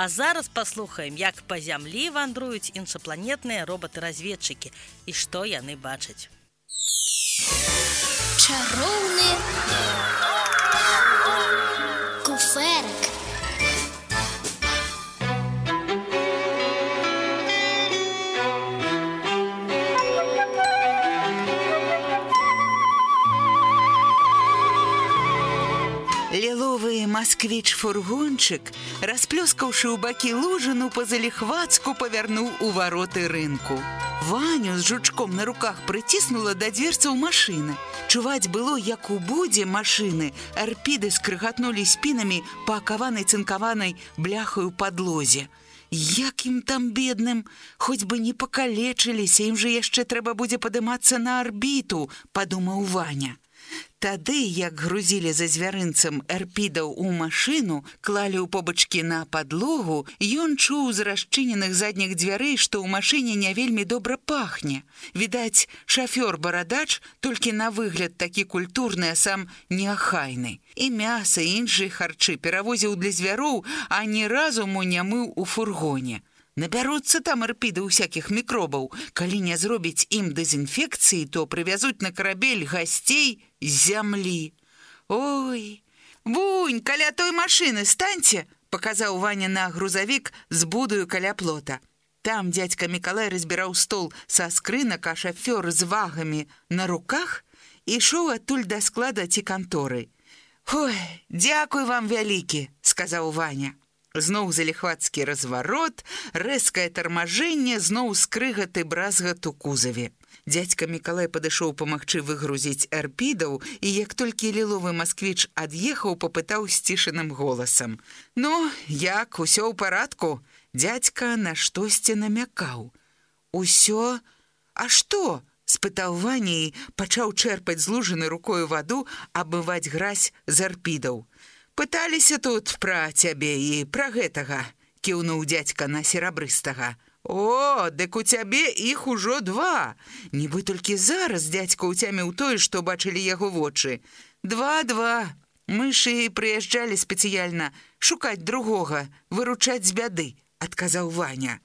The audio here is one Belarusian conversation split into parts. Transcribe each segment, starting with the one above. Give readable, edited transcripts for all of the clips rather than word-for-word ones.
А зараз паслухаем, як па зямлі вандруюць іншапланетныя робаты-разведчыкі і што яны бачаць. Чароўны куферак. Ліловы масквіч-фургончык, расплёскаўшы ў бакі лужыну, па-заліхвацку павярнуў у вароты рынку. Ваню з жучком на руках прыціснула да дверцаў машыны. Чуваць было, як у будзе машыны арпіды скрыгатнулі спінамі па акаванай цынкаванай бляхаю падлозе. Як ім там, бедным, хоць бы не пакалечыліся, ім жа яшчэ трэба будзе падымацца на арбіту, падумаў Ваня. Тады, як грузілі за звярынцам арпідаў у машыну, клалі ў побачкі на падлогу, ён чуў з расчыненых задніх дзвярэй, што ў машыне не вельмі добра пахне. Відаць, шафёр-барадач толькі на выгляд такі культурны, а сам неахайны. І мяса, і іншыя харчы перавозіў для звяроў, а ні разу мо не мыў у фургоне. Набяруцца там арпіды ўсякіх мікробаў. Калі не зробіць ім дэзінфекцыі, то прывязуць на карабель гасцей з зямлі. Ой, вунь, каля той машыны станьце, паказаў Ваня на грузавік з будаю каля плота. Там дзядзька Мікалай разбіраў стол са скрынак, а шафёр з вагамі на руках ішоў адтуль да склада ці канторы. Ой, дзякуй вам вялікі, сказаў Ваня. Зноў заліхвацкі разварот, рэзкае тармажэнне, зноў скрыгат і бразгат у кузаве. Дзядзька Мікалай падышоў памагчы выгрузіць арпідаў, і як толькі ліловы масквіч ад'ехаў, папытаў сцішаным голасам: «Ну, як, усё ў парадку?» Дзядзька на штосьці намякаў. «Усё? А што?» – спытаў Ваня і пачаў чэрпаць з лужыны рукою ваду, абмываць гразь з арпідаў. «Пыталіся тут пра цябе і пра гэтага», – кіўнуў дзядзька на серабрыстага. «О, дык у цябе іх ужо 2. Нібы толькі зараз дзядзька уцяміў тое, што бачылі яго вочы. 2. Мы ж і прыязджалі спецыяльна шукаць другога, выручаць з бяды», – адказаў Ваня.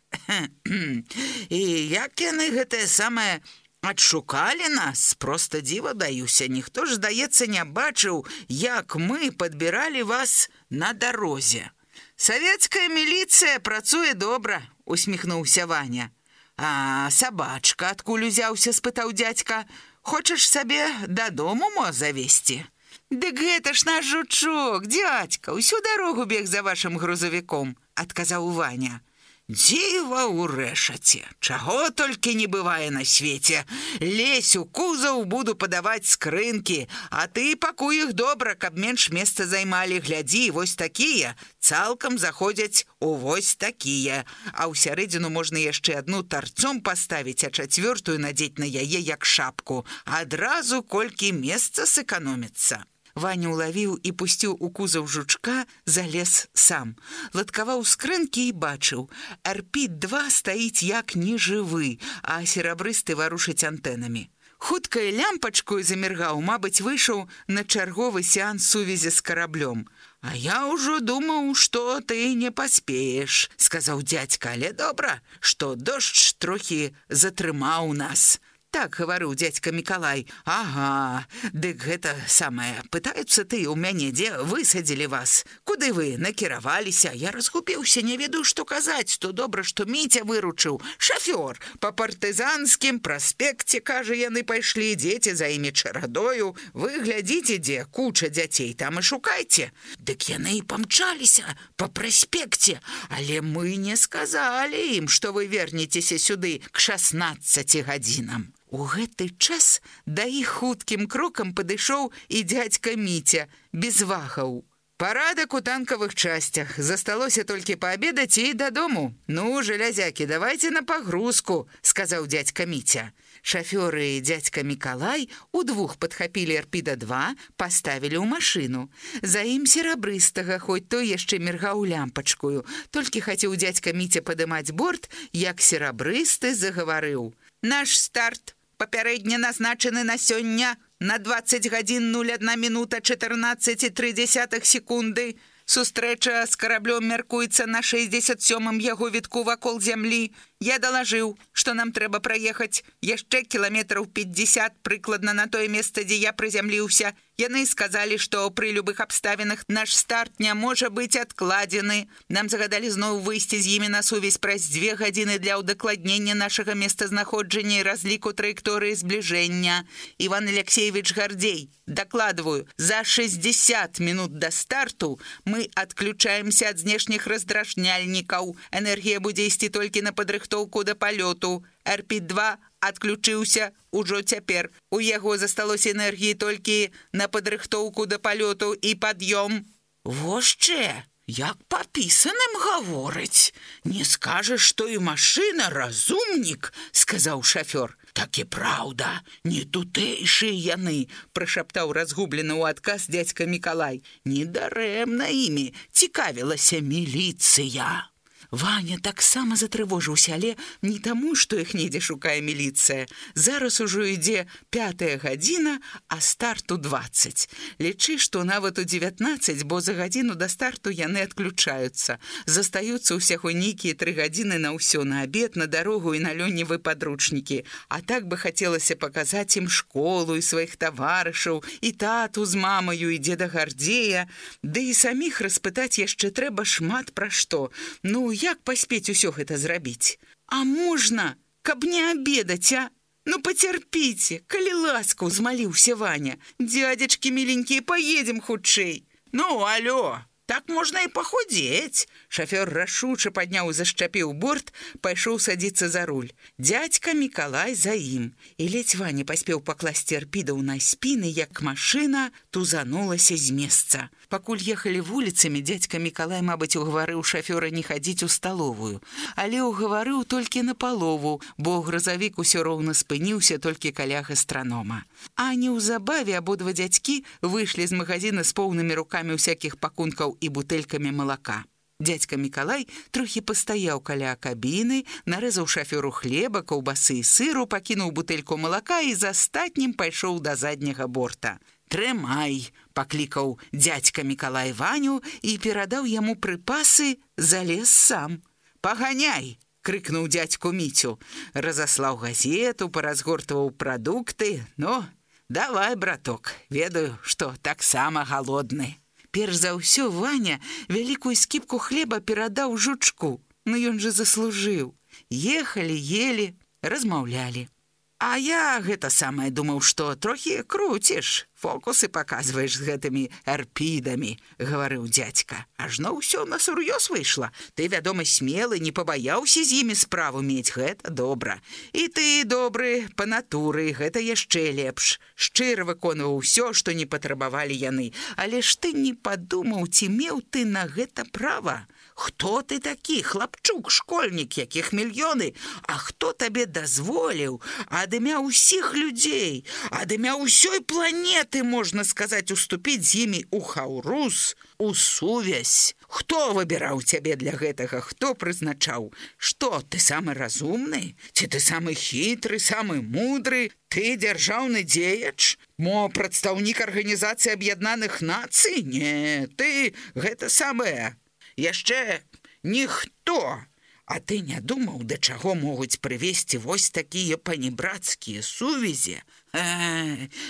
«І як яны гэтае самае адшукалі нас, проста дзіва даюся. Ніхто ж, здаецца, не бачыў, як мы падбіралі вас на дарозе. Савецкая міліцыя працуе добра», – усміхнуўся Ваня. «А сабачка адкуль узяўся?» – спытаў дзядзька. «Хочаш сабе дадому мо завесці?» «Дык гэта ж наш жучок, дзядзька, усю дарогу бег за вашым грузавіком», – адказаў Ваня. «Дзіва ўрэшаце, чаго толькі не бывае на свеце. Лезь у кузаў, буду падаваць скрынкі, а ты пакуй іх добра, каб менш месца займалі. Глядзі, вось такія цалкам заходзяць у вось такія, а ў сярэдзіну можна яшчэ адну тарцом паставіць, а 4 надзець на яе як шапку. Адразу колькі месца сэканоміцца». Ваня улавіў і пусціў у кузаў жучка, залез сам. Ладкаваў скрынкі і бачыў. Арпід 2 стаіць як нежывы, а серабрысты варушыць антэнамі. Хутка і лямпачкою заміргаў, мабыць, выйшаў на чарговы сеанс сувязі з караблём. «А я ўжо думаў, што ты не паспееш», – сказаў дзядзька, «але добра, што дождж трохі затрымаў нас». «Так, — гаварыў дзядзька Мікалай. — Ага, дык гэта самае. Пытаюцца ты ў мяне, дзе высадзілі вас? Куды вы накіраваліся? Я разгубіўся, не ведаю, што казаць. То добра, што Міця выручыў. Шафёр, па партызанскім праспекце, кажа, яны пайшлі, дзеці за імі чарадою. Вы глядзіце, дзе куча дзяцей, там і шукайце. Дык яны і памчаліся па праспекце, але мы не сказалі ім, што вы вернецеся сюды к 16 гадзінам». У гэты час да іх хуткім крокам падышоў і дзядзька Міця, без вагаў. «Парадак у танкавых часцях. Засталося толькі паабедаць і дадому. Ну, жалязякі, давайце на пагрузку», – сказаў дзядзька Міця. Шафёры і дзядзька Мікалай удвух падхапілі арпіда 2, паставілі ў машыну. За ім серабрыстага, хоць той яшчэ міргаў лямпачкою. Толькі хацеў дзядзька Міця падымаць борт, як серабрысты загаварыў. «Наш старт папярэдне назначаны на сёння на 20 гадзін 01 мінута 14,3 секунды. Сустрэча з караблём мяркуецца на 67-м яго вітку вакол зямлі. Я далажыў, што нам трэба праехаць яшчэ кіламетраў 50 прыкладна на тое месца, дзе я прызямліўся. Яны сказалі, што пры любых абставінах наш старт не можа быць адкладзены. Нам загадалі зноў выйсці з імі на сувязь праз 2 гадзіны для ўдакладнення нашага месцазнаходжання і разліку траекторыі збліжэння. Іван Алексеевич Гардзей, дакладваю, за 60 минут да старту мы адключаемся ад знешніх раздражняльнікаў. Энергія будзе ісці толькі на падрыхтоўку да палёту. РП-2 адключыўся ужо цяпер. У яго засталося энергіі толькі на падрыхтоўку да палёту і пад'ём. Вошчэ, як папісаным гаворыць. Не скажаш, што і машына разумнік, сказаў шафёр. Так і праўда, не тутэйшыя яны, прышаптаў разгублены ў адказ дзядзька Мікалай. Недарэмна імі цікавілася міліцыя. Ваня таксама затрывожыўся, але не таму, што іх недзе шукае міліцыя. Зараз ужо ідзе 5-я гадзіна, а старту 20. Лічы, што нават у 19, бо за гадзіну да старту яны адключаюцца. Застаюцца ўсяго нейкія 3 гадзіны на ўсё, на абед, на дарогу і на лённевы падручнікі. А так бы хацелася паказаць ім школу і сваіх таварышаў, і тату з мамаю, і дзеда Гардзея. Ды і саміх распытаць яшчэ трэба шмат пра што. Ну, як паспець усё гэта зрабіць? А можна, каб не абедаць, а? Ну, пацярпіце, калі ласка, узмаліўся Ваня. Дзядзечкі міленькія, паедзем хутчэй. Ну, алё, так можна і пахудзець. Шафёр рашуча падняў і зашчапіў борт, пайшоў садзіцца за руль. Дзядзька Мікалай за ім. І ледзь Ваня паспеў пакласці арпідаў на спіны, як машына тузанулася з месца. Пакуль ехалі вуліцамі, дзядзька Мікалай, мабыць, угаварыў шафёра не хадзіць у сталовую. Але угаварыў толькі напалову, бо грузавік усё роўна спыніўся толькі каля гастранома. А неўзабаве абодва дзядзькі выйшлі з магазіна з поўнымі рукамі ўсякіх пакункаў і бутэлькамі малака. Дзядзька Мікалай трохі пастаяў каля кабіны, нарэзаў шафёру хлеба, каўбасы і сыру, пакінуў бутэльку малака і з астатнім пайшоў да задняга борта. «Трымай!» – паклікаў дзядзька Мікалай Ваню і перадаў яму прыпасы, залез сам. «Паганяй!» – крыкнуў дзядзьку Міцю. Разаслаў газету, паразгортваў прадукты. «Ну, давай, браток, ведаю, што таксама галодны». Перш за ўсё Ваня вялікую скіпку хлеба перадаў жучку. Ну ён жа заслужыў. Ехалі, ели, размаўлялі. А я гэта самае думаў, што трохі круціш, фокусы паказваеш з гэтымі арпідамі, гаварыў дзядзька. Ажно ўсё на сур'ёз выйшла. Ты, вядома, смелы, не пабаяўся з імі справу мець, гэта добра. І ты добры па натуры, гэта яшчэ лепш. Шчыра выконваў усё, што не патрабавалі яны. Але ж ты не падумаў, ці меў ты на гэта права? Хто ты такі, хлапчук, школьнік, якіх мільёны? А хто табе дазволіў ад імя ўсіх людзей, ад імя ўсёй планеты, можна сказаць, уступіць з імі ў хаўрус, у сувязь? Хто выбіраў цябе для гэтага? Хто прызначаў? Што, ты самы разумны? Ці ты самы хітры, самы мудры? Ты дзяржаўны дзеяч? Мо прадстаўнік Арганізацыі Аб'яднаных Нацый? Не, ты гэта самае. Яшчэ ніхто. А ты не думаў, да чаго могуць прывесці вось такія панібрацкія сувязі?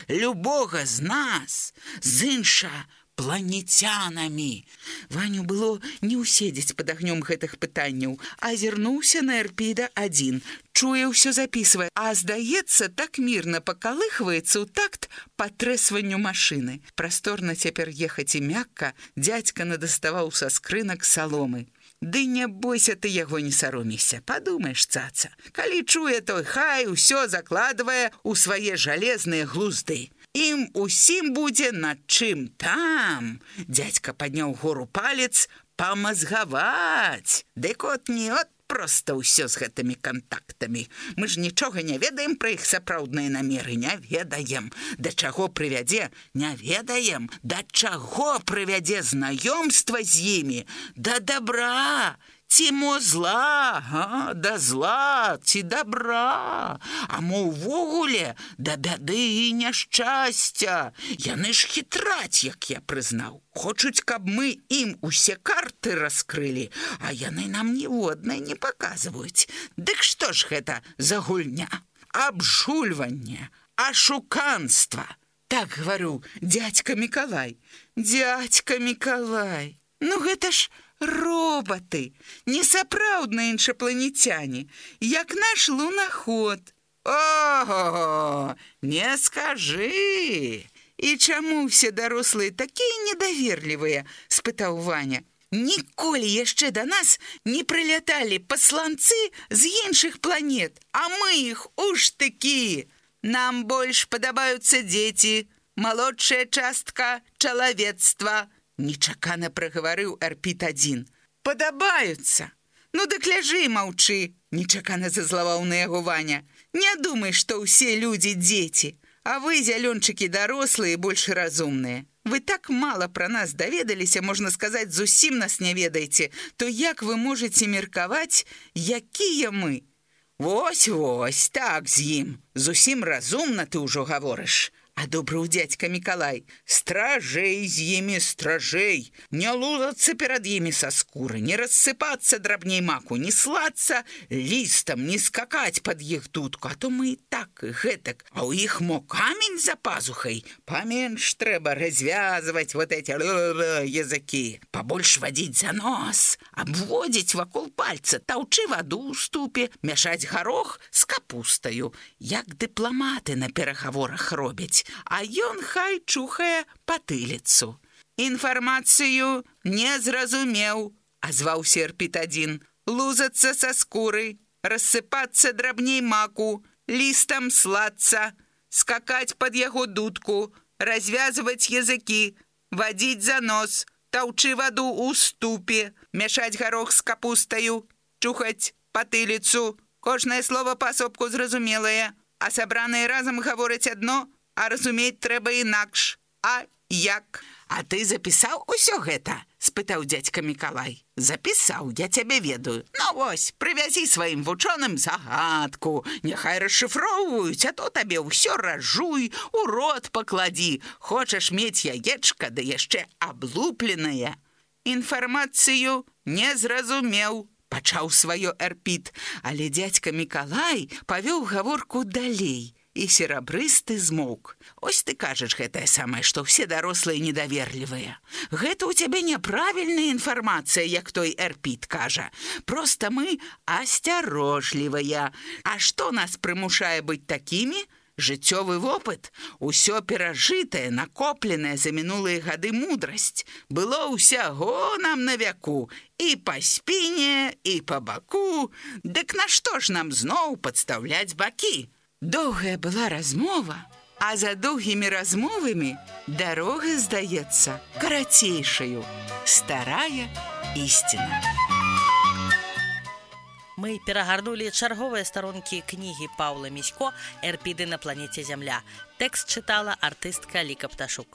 Любога з нас, з іншапланецянамі. Ваню было не ўседзець пад агнём гэтых пытанняў, азірнуўся на Эрпіда-1. Чуе, ўсё запісвае, а, здаецца, так мірна пакалыхваецца ў такт патрэсванню машыны. Прасторна цяпер ехаць і мякка, дзядзька надаставаў са скрынак саломы. Ды не бойся, ты яго не саромейся, падумаеш, цаца. Калі чуе, той хай усё закладвае ў свае жалезныя глузды. Ім усім будзе над чым там, дзядзька падняў гору палец, памазгаваць. Дык от не от проста ўсё з гэтымі кантактамі. Мы ж нічога не ведаем пра іх сапраўдныя намеры, не ведаем. Да чаго прывядзе, не ведаем. Да чаго прывядзе знаёмства з імі? Да добра, Ці мо зла, да зла, ці добра, а мо ўвогуле да бяды і няшчасця. Яны ж хітраць, як я прызнаў. Хочуць, каб мы ім усе карты раскрылі, а яны нам ніводнай не паказваюць. Дык што ж гэта за гульня? Абжульванне, ашуканства. Так гаварыў дзядзька Мікалай. Дзядзька Мікалай, ну гэта ж роботы, несапраўдныя іншапланецяне, як наш лунаход. Ого, не скажы. І чаму ўсе дарослыя такія недаверлівыя? Спытаў Ваня. Ніколі яшчэ да нас не прыляталі пасланцы з іншых планет, а мы іх уж такі. Нам больш падабаюцца дзеці, малодшая частка чалавецтва. Нечакана прагаварыў Эрпіт-1. Падабаюцца. Ну дык ляжы і маўчы, нечакана зазлаваў на яго Ваня. Не думай, што ўсе людзі дзеці, а вы, зялёнчыкі, дарослыя, больш разумныя. Вы так мала пра нас даведаліся, можна сказаць, зусім нас не ведаеце, то як вы можаце меркаваць, якія мы? Вось, так з ім. Зусім разумна ты ўжо гаворыш. Адобрыў дзядзька Мікалай. Стражэй з імі, стражэй. Не лузацца перад імі са скуры, не рассыпацца драбней маку, не слацца лістам, не скакаць пад іх дудку, а то мы і так, і гэтак. А ў іх мо камень за пазухай. Паменш трэба развязваць вот эти языкі. Пабольш вадзіць за нос, абводзіць вакол пальца, таўчы ваду ў ступе, мяшаць гарох з капустаю, як дыпламаты на перагаворах робяць. А ён хай чухае патыліцу. Інфармацыю не зразумеў, азваўся Эрпіт-1. Лузацца са скуры, рассыпацца драбней маку, лістам слацца, скакаць пад яго дудку, развязваць языкі, вадзіць за нос, таўчы ваду ў ступе, мяшаць гарох з капустаю, чухаць патыліцу. Кожнае слова паасобку зразумелае, а сабраныя разам гавораць адно, а разумець трэба інакш. А як? А ты запісаў усё гэта? Спытаў дзядзька Мікалай. Запісаў, я цябе ведаю. Ну вось, прывязі сваім вучоным загадку. Няхай расшыфроўваюць, а то табе ўсё ражуй, у рот пакладі. Хочаш мець яечка, да яшчэ аблупленае. Інфармацыю не зразумеў. Пачаў сваё Эрпіт, але дзядзька Мікалай павёў гаворку далей. І серабрысты змоўк. Ось ты кажаш гэтае самае, што ўсе дарослыя недаверлівыя. Гэта ў цябе няправільная інфармацыя, як той Эрпіт кажа. Проста мы асцярожлівыя. А што нас прымушае быць такімі? Жыццёвы вопыт, усё перажытае, накопленае за мінулыя гады мудрасць. Было ўсяго нам на вяку. І па спіне, і па баку. Дык нашто ж нам зноў падстаўляць бакі? Доўгая была размова, а за доўгімі размовамі дарога здаецца карацейшаю. Старая ісціна. Мы перагарнулі чарговыя старонкі кнігі Паўла Місько «Эрпіды на планеце Зямля». Тэкст чытала артыстка Ліка Пташук.